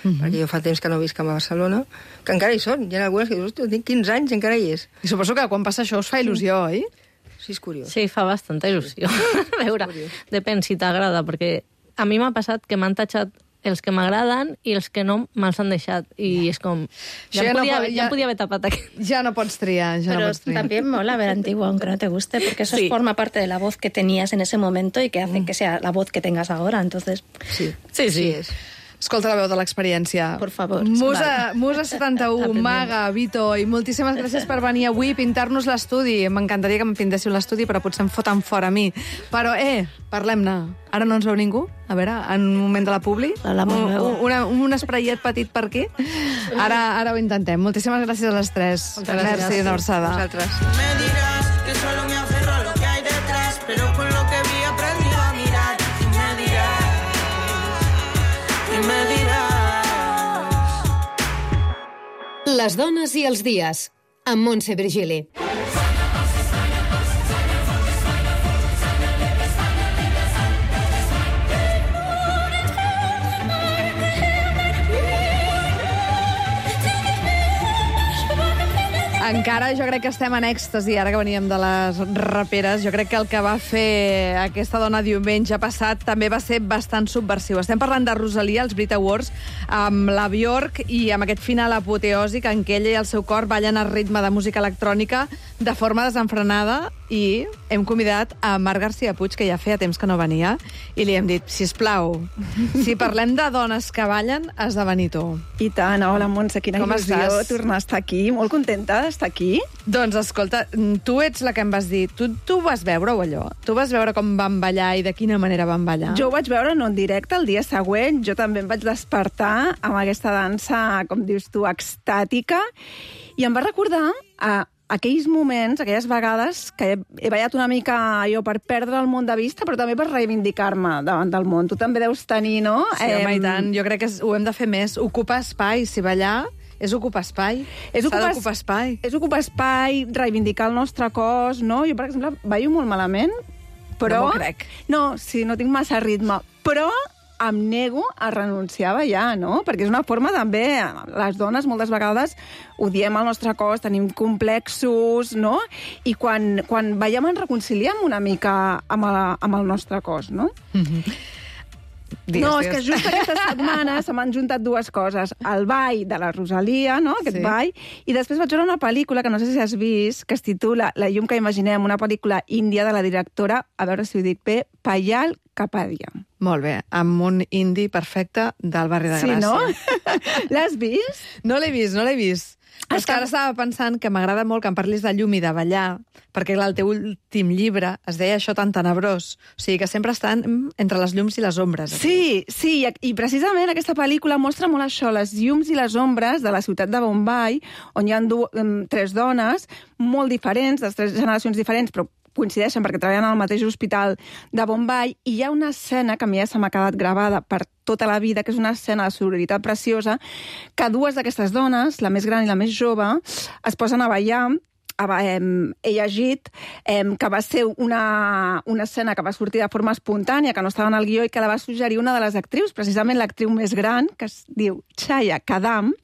uh-huh. perquè jo fa temps que no visc a Barcelona, que encara hi són. Hi ha algunes que dius, hòstia, tinc quinze anys i encara hi és. I suposo que quan passa això us fa il·lusió, oi? Sí, és curiós. Sí, fa bastanta il·lusió. A veure, depèn si t'agrada, perquè a mi m'ha passat que m'han tatxat els que m'agraden i els que no me'ls han deixat. I és com... Ja, ja em no podia, po- haver- ja... ja- em podia haver tapat aquest. Ja no pots triar, ja Pero no pots triar. también mola ver antiguo, aunque no te guste, porque eso Sí. forma parte de la voz que tenías en ese momento y que hace que sea la voz que tengas ahora. Entonces, Sí, Sí, sí. sí és. Escolta la veu de l'experiència. Por favor. Musa, Vale. Musa setanta-u, Aprendiendo. Maga, Vito, i moltíssimes gràcies per venir avui i pintar-nos l'estudi. M'encantaria que em pintéssiu l'estudi, però potser em foten fora a mi. Però, eh, parlem-ne. Ara no ens veu ningú? A veure, en un moment de la publi? Hablamos un, luego. un, una, un espraiet petit per aquí? Ara, ara ho intentem. Moltíssimes gràcies a les tres. Moltes gràcies. Merci, una abraçada. Vosaltres. Me dirás que solo me aferro a lo que hay detrás, pero con lo que vi aprendí a mirar. Y me dirás, y me dirás. Les dones i els dies, amb Montse Virgili. Encara jo crec que estem en èxtasi, ara que veníem de les raperes. Jo crec que el que va fer aquesta dona diumenge passat també va ser bastant subversiu. Estem parlant de Rosalia, els Brit Awards, amb la Bjork i amb aquest final apoteòsic en què ella i el seu cor ballen al ritme de música electrònica de forma desenfrenada, i hem convidat a Marc García Puig, que ja feia temps que no venia, i li hem dit, sisplau, si parlem de dones que ballen, has de venir tu. I tant, hola Montse, quina Com il·lusió estàs? tornar a estar aquí, molt contenta d'estar aquí. Doncs escolta, tu ets la que em vas dir, tu, tu vas veure-ho allò? Tu vas veure com van ballar i de quina manera van ballar? Jo ho vaig veure no en directe el dia següent, jo també em vaig despertar amb aquesta dansa, com dius tu, extàtica, i em va recordar a aquells moments, aquelles vegades que he, he ballat una mica jo per perdre el món de vista, però també per reivindicar-me davant del món. Tu també deus tenir, no? Sí, home, i tant. Jo crec que és- ho hem de fer més. Ocupar espai, si ballar és ocupar espai. És S'ha ocupar, d'ocupar espai. És ocupar espai, reivindicar el nostre cos, no? Jo, per exemple, ballo molt malament, però... No m'ho crec. No, sí, no tinc massa ritme, però em nego a renunciar a ballar, no? Perquè és una forma també, les dones moltes vegades odiem el nostre cos, tenim complexos, no? I quan, quan ballem ens reconciliem una mica amb, la, amb el nostre cos, no? Digues, no, és digues. que just aquesta setmana se m'han juntat dues coses. El ball de la Rosalia, no?, aquest Sí. sí. ball, i després vaig veure una pel·lícula que no sé si has vist, que es titula La llum que imaginem, una pel·lícula índia de la directora, a veure si ho dic bé, Payal Kapadia. Molt bé, amb un indi perfecte del barri de Sí, Gràcia. no? L'has vist? No l'he vist, no l'he vist. Està... És que ara estava pensant que m'agrada molt que em parlis de llum i de ballar, perquè clar, el teu últim llibre es deia això tan tenebrós. O sigui, que sempre estan mm, entre les llums i les ombres. Aquí. Sí, sí, i precisament aquesta pel·lícula mostra molt això, les llums i les ombres de la ciutat de Bombay, on hi ha du- em, tres dones molt diferents, de tres generacions diferents, però coincideixen perquè treballen al mateix hospital de Bombay, i hi ha una escena que a mi ja se m'ha quedat gravada per tota la vida, que és una escena de sororitat preciosa, que dues d'aquestes dones, la més gran i la més jove, es posen a ballar. He llegit que va ser una, una escena que va sortir de forma espontània, que no estava en el guió, i que la va suggerir una de les actrius, precisament l'actriu més gran, que es diu Chaya Kadam,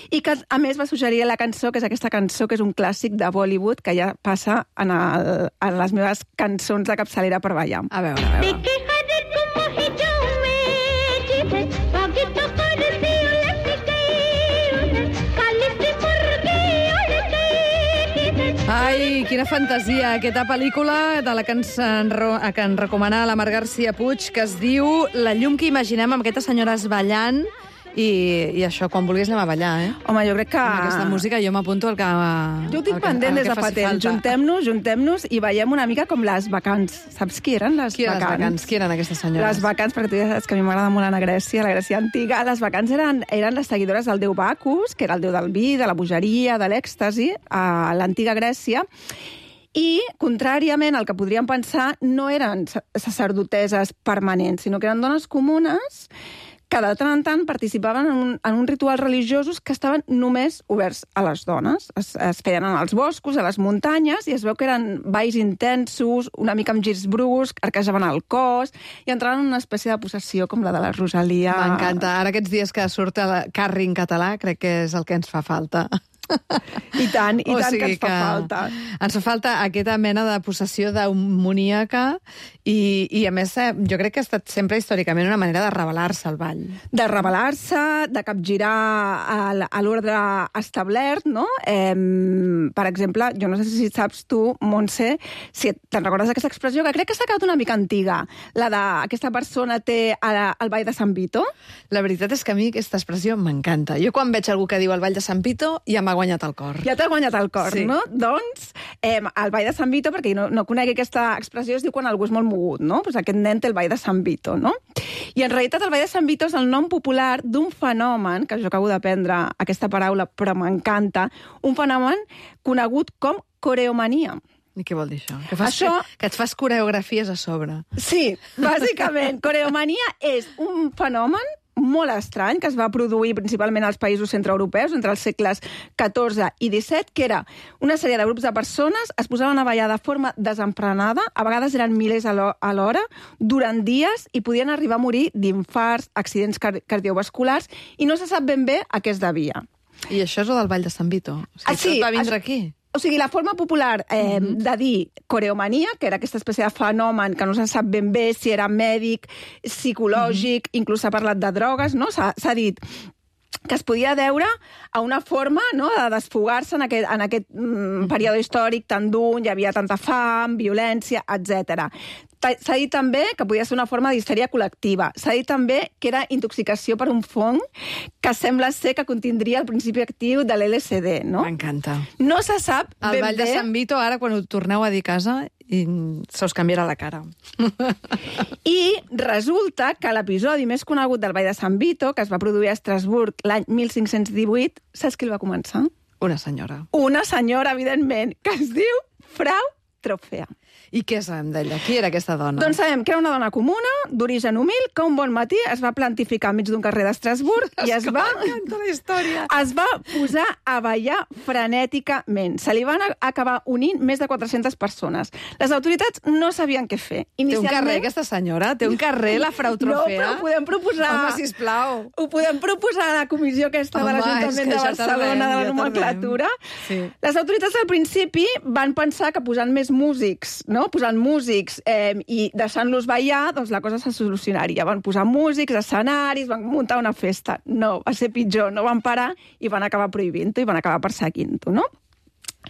i que, a més, va suggerir la cançó, que és aquesta cançó, que és un clàssic de Bollywood, que ja passa en, el, en les meves cançons de capçalera per ballar. A veure, a veure. Ai, quina fantasia, aquesta pel·lícula de la que ens, enro- que ens recomana la Mar García Puig, que es diu La llum que imaginem amb aquestes senyores ballant, i, i això, quan vulguis anem a ballar, eh? Home, jo crec que... Amb aquesta música jo m'apunto el que... Jo ho tinc pendent des de fa temps. Juntem-nos, juntem-nos i veiem una mica com les vacants. Saps qui eren les Qui eren vacants? les vacants? Qui eren aquestes senyores? Les vacants, perquè tu ja saps que a mi m'agrada molt anar a Grècia, la Grècia antiga. Les vacants eren, eren les seguidores del déu Bacus, que era el déu del vi, de la bogeria, de l'èxtasi, a l'antiga Grècia. I, contràriament al que podríem pensar, no eren sacerdoteses permanents, sinó que eren dones comunes que de tant en tant participaven en un, en un rituals religiosos que estaven només oberts a les dones. Es, es feien en els boscos, a les muntanyes, i es veu que eren balls intensos, una mica amb girs bruscs, arquejaven el cos, i entraven en una espècie de possessió com la de la Rosalia. M'encanta. Ara aquests dies que surt el Carri en català, crec que és el que ens fa falta. I tant, i o tant sigui que ens fa que falta. Ens fa falta aquesta mena de possessió demoníaca i, i a més, jo crec que ha estat sempre històricament una manera de rebel·lar-se al ball. De rebel·lar-se, de capgirar a, a l'ordre establert, no? Eh, per exemple, jo no sé si saps tu, Montse, si te'n recordes d'aquesta expressió, que crec que s'ha quedat una mica antiga, la d'aquesta persona té el ball de Sant Vito. La veritat és que a mi aquesta expressió m'encanta. Jo quan veig algú que diu el ball de Sant Vito ja m'ha guanyat el cor. Ja t'ha guanyat el cor, sí. No? Doncs, eh, el ball de Sant Vito, perquè no, no conegui aquesta expressió, es diu quan algú és molt mogut, no? Pues aquest nen té el ball de Sant Vito, no? I en realitat el ball de Sant Vito és el nom popular d'un fenomen, que jo acabo d'aprendre aquesta paraula, però m'encanta, un fenomen conegut com coreomania. I què vol dir això? Que, fas, això... que, que et fas coreografies a sobre. Sí, bàsicament. Coreomania és un fenomen molt estrany, que es va produir principalment als països centreeuropeus entre els segles catorze i disset, que era una sèrie de grups de persones, es posaven a ballar de forma desenfrenada, a vegades eren milers a l'hora, durant dies, i podien arribar a morir d'infarts, accidents car cardiovasculars, i no se sap ben bé a què es devia. I això és el del ball de Sant Vito? O sigui, ah, sí, tot va vindre això... aquí? O sigui, la forma popular eh, mm-hmm. de dir coreomania, que era aquesta espècie de fenomen que no se sap ben bé si era mèdic, psicològic, mm-hmm. inclús s'ha parlat de drogues, no? S'ha dit que es podia deure a una forma, no?, de desfogar-se en aquest, en aquest mm, període històric tan dur, hi havia tanta fam, violència, etcètera. S'ha dit també que podia ser una forma d'histèria col·lectiva. S'ha dit també que era intoxicació per un fong que sembla ser que contindria el principi actiu de l'L S D, no? M'encanta. No se sap ben bé... El ball de Sant Vito, ara, quan ho torneu a dir a casa, i se us canviarà la cara. I resulta que l'episodi més conegut del ball de Sant Vito, que es va produir a Estrasburg l'any mil cinc-cents divuit, saps qui el va començar? Una senyora. Una senyora, evidentment, que es diu Frau Trofea. I què sabem d'ella? Qui era aquesta dona? Doncs sabem que era una dona comuna, d'origen humil, que un bon matí es va plantificar enmig d'un carrer d'Estrasburg i es va... M'encanta la història. Es va posar a ballar frenèticament. Se li van acabar unint més de quatre-centes persones. Les autoritats no sabien què fer. Inicialment... Té un carrer, aquesta senyora? Té un carrer, la Frau Trofea? No, però ho podem proposar... Home, sisplau. Ho podem proposar a la comissió aquesta Home, de l'Ajuntament de Barcelona, de la nomenclatura. Sí. Les autoritats al principi van pensar que posant més músics, no? Posant músics eh, i deixant-los ballar, doncs la cosa se solucionaria. Van posar músics, escenaris, van muntar una festa. No, va ser pitjor, no van parar i van acabar prohibint-ho i van acabar perseguint-ho, no?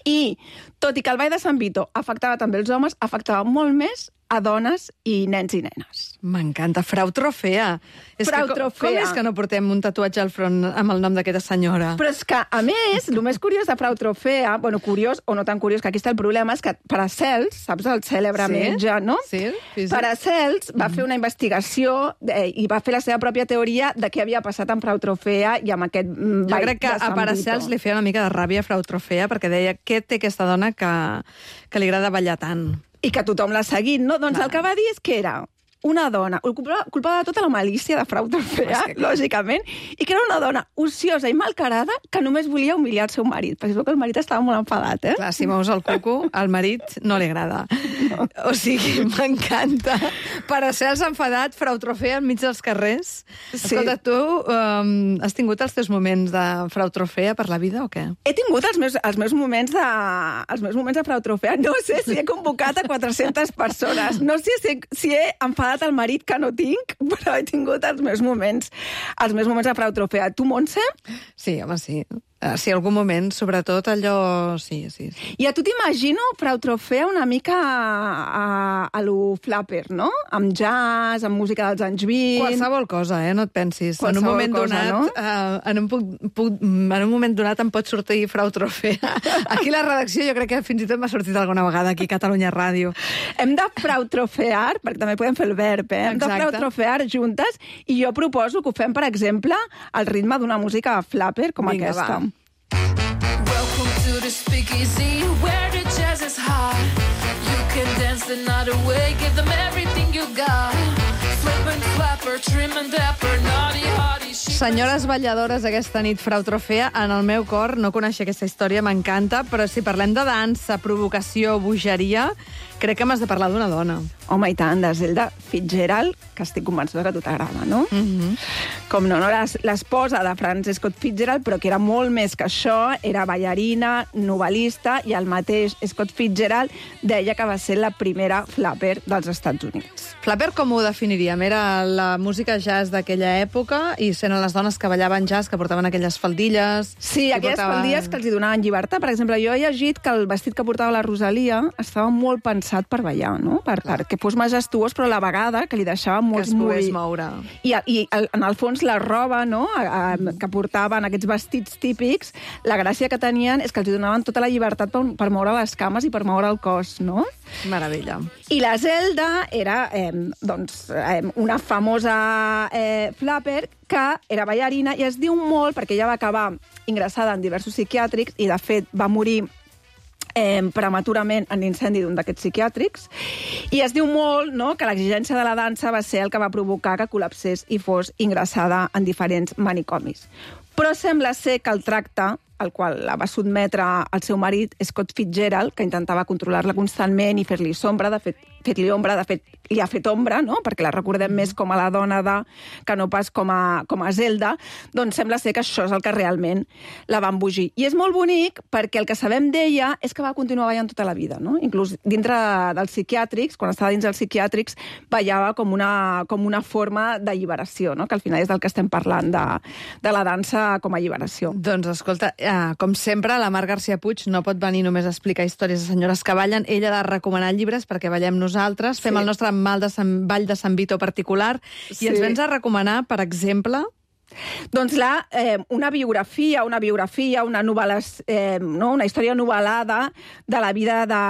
I, tot i que el ball de Sant Vito afectava també els homes, afectava molt més a dones i nens i nenes. M'encanta. Frau Trofea. És Frau que, Trofea. Com és que no portem un tatuatge al front amb el nom d'aquesta senyora? Però és que, a més, el més curiós de Frau Trofea, bueno, curiós o no tan curiós, que aquí està el problema, és que Paracels, saps el cèlebre sí? metge, no? Sí, sí, sí. Paracels va mm. fer una investigació eh, i va fer la seva pròpia teoria de què havia passat amb Frau Trofea i amb aquest ball de Sant Vito. Jo crec que a Paracels li feia una mica de ràbia a Frau Trofea perquè deia què té aquesta dona que, que li agrada ballar tant. I que tothom l'ha seguit, no? Doncs clar. El que va dir és que era una dona, culpava, culpava de tota la malícia de Frau Trofea, que... lògicament, i que era una dona ociosa i malcarada que només volia humiliar el seu marit, perquè es veu que el marit estava molt enfadat, eh? Clar, si mous el cuco, al marit no li agrada. No. O sigui, m'encanta. Paracels enfadat, Frau Trofea enmig dels carrers. Sí. Escolta, tu um, has tingut els teus moments de Frau Trofea per la vida o què? He tingut els meus, els meus moments de els meus moments de Frau Trofea. No sé si he convocat a quatre-centes persones. No sé si, si he enfadat el marit que no tinc, però he tingut els meus moments, els meus moments de Frau Trofea. Tu, Montse? Sí, home, sí. Sí, algun moment, sobretot allò... Sí, sí, sí. I a tu t'imagino Frau Trofea una mica a, a lo flapper, no? Amb jazz, amb música dels anys vint... Qualsevol cosa, eh? No et pensis. Qualsevol en un moment cosa, donat, no? uh, en, un puc, puc, en un moment donat em pot sortir Frau Trofea. Aquí a la redacció jo crec que fins i tot m'ha sortit alguna vegada aquí a Catalunya Ràdio. Hem de Frau Trofear, perquè també podem fer el verb, eh? Hem Exacte. de Frau Trofear juntes, i jo proposo que ho fem, per exemple, al ritme d'una música flapper com Vinga, aquesta. va. Welcome to the speakeasy where the jazz is hot. You can dance the night away, give them everything you got. Flip and flapper, trim and dapper, naughty hottie. Senyores balladores, aquesta nit, Frau Trofea, en el meu cor, no coneixia aquesta història, m'encanta, però si parlem de dansa, provocació, bogeria, crec que m'has de parlar d'una dona. Home, i tant, de Zelda Fitzgerald, que estic convençuda que a tu t'agrada, no? Mm-hmm. Com no, no era l'esposa de Frances Scott Fitzgerald, però que era molt més que això, era ballarina, novel·lista, i el mateix Scott Fitzgerald deia que va ser la primera flapper dels Estats Units. Flapper com ho definiríem? Era la música jazz d'aquella època i eren les dones que ballaven jazz, que portaven aquelles faldilles... Sí, que aquelles portaven... faldilles que els hi donaven llibertat. Per exemple, jo he llegit que el vestit que portava la Rosalia estava molt pensat per ballar, no? Per, perquè fos majestuós, però a la vegada que li deixava molts que es pogués moure. I, i en el fons la roba, no?, a, a, que portaven aquests vestits típics, la gràcia que tenien és que els donaven tota la llibertat per, per moure les cames i per moure el cos, no? Meravella. I la Zelda era, eh, doncs, eh, una famosa eh, flapper que era ballarina i es diu molt perquè ella va acabar ingressada en diversos psiquiàtrics i, de fet, va morir Eh, prematurament en l'incendi d'un d'aquests psiquiàtrics, i es diu molt, no?, que l'exigència de la dansa va ser el que va provocar que col·lapsés i fos ingressada en diferents manicomis. Però sembla ser que el tracte al qual la va sotmetre el seu marit, Scott Fitzgerald, que intentava controlar-la constantment i fer-li sombra, de fet, fer-li ombra, de fet, li ha fet ombra, no?, perquè la recordem més com a la dona de, que no pas com a, com a Zelda, doncs sembla ser que això és el que realment la va embogir. I és molt bonic perquè el que sabem d'ella és que va continuar ballant tota la vida, no? Inclús dintre dels psiquiàtrics, quan estava dins dels psiquiàtrics, ballava com una, com una forma d'alliberació, no?, que al final és del que estem parlant, de, de la dansa com a alliberació. Doncs escolta, eh, com sempre, la Mar García Puig no pot venir només a explicar històries de senyores que ballen, ella ha de recomanar llibres perquè ballem nosaltres, fem Sí. el nostre mal de Sant, ball de Sant Vito particular, Sí. i ens vens a recomanar, per exemple... Doncs la, eh, una biografia, una biografia, una novel·la, eh, no? una història novel·lada de la vida de,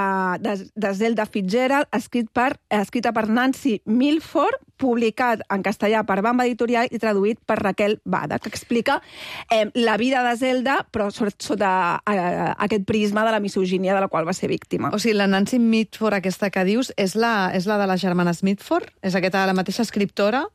de, de Zelda Fitzgerald, escrit per, escrita per Nancy Milford, publicat en castellà per Bamba Editorial i traduït per Raquel Bada, que explica eh, la vida de Zelda, però sota eh, aquest prisma de la misogínia de la qual va ser víctima. O sigui, la Nancy Mitford, aquesta que dius, és la, és la de les germanes Mitford? És aquesta, la mateixa escriptora?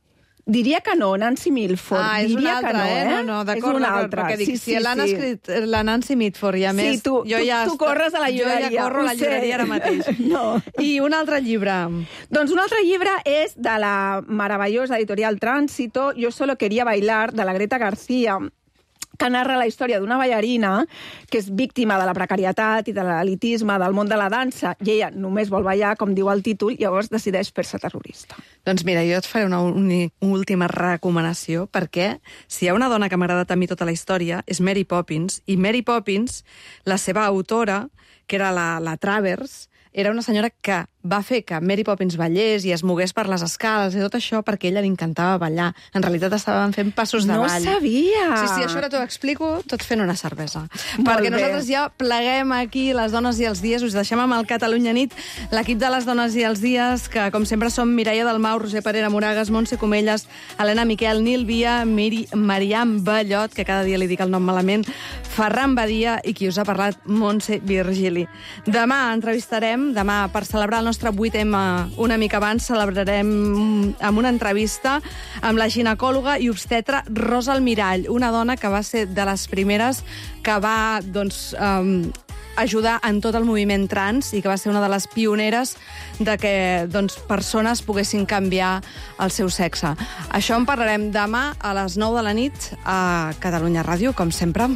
Diria que no, Nancy Milford. Ah, és Diria una altra, que no, eh? No, no, d'acord, és una d'acord, altra. perquè dic, Sí, si sí, l'han sí. escrit la Nancy Mitford i a més... Sí, tu, jo tu, ja tu corres a la llibreria. Jo ja corro a la ho sé. llibreria ara mateix. No. I un altre llibre. Doncs un altre llibre és de la meravellosa editorial Tránsito, Yo solo quería bailar, de la Greta García, que narra la història d'una ballarina que és víctima de la precarietat i de l'elitisme del món de la dansa, i ella només vol ballar, com diu el títol, i llavors decideix fer-se terrorista. Doncs mira, jo et faré una, una última recomanació, perquè si hi ha una dona que m'ha agradat a mi tota la història, és Mary Poppins, i Mary Poppins, la seva autora, que era la, la Travers, era una senyora que va fer que Mary Poppins ballés i es mogués per les escales i tot això perquè ella li encantava ballar. En realitat estaven fent passos de No ball. sabia! Sí, sí, això ara t'ho explico tot fent una cervesa. Molt perquè bé. nosaltres ja pleguem aquí les dones i els dies, us deixem amb el Catalunya Nit, l'equip de les dones i els dies, que com sempre som Mireia Dalmau, Roser Parera Moragas, Montse Comelles, Helena Miquel, Nil Via, Miri, Mariam Ballot, que cada dia li dic el nom malament, Ferran Badia i qui us ha parlat, Montse Virgili. Demà entrevistarem, demà per celebrar el nostre vuitè ema una mica abans, celebrarem amb una entrevista amb la ginecòloga i obstetra Rosa Almirall, una dona que va ser de les primeres que va, doncs, um, ajudar en tot el moviment trans i que va ser una de les pioneres de que, doncs, persones poguessin canviar el seu sexe. Això en parlarem demà a les nou de la nit a Catalunya Ràdio, com sempre.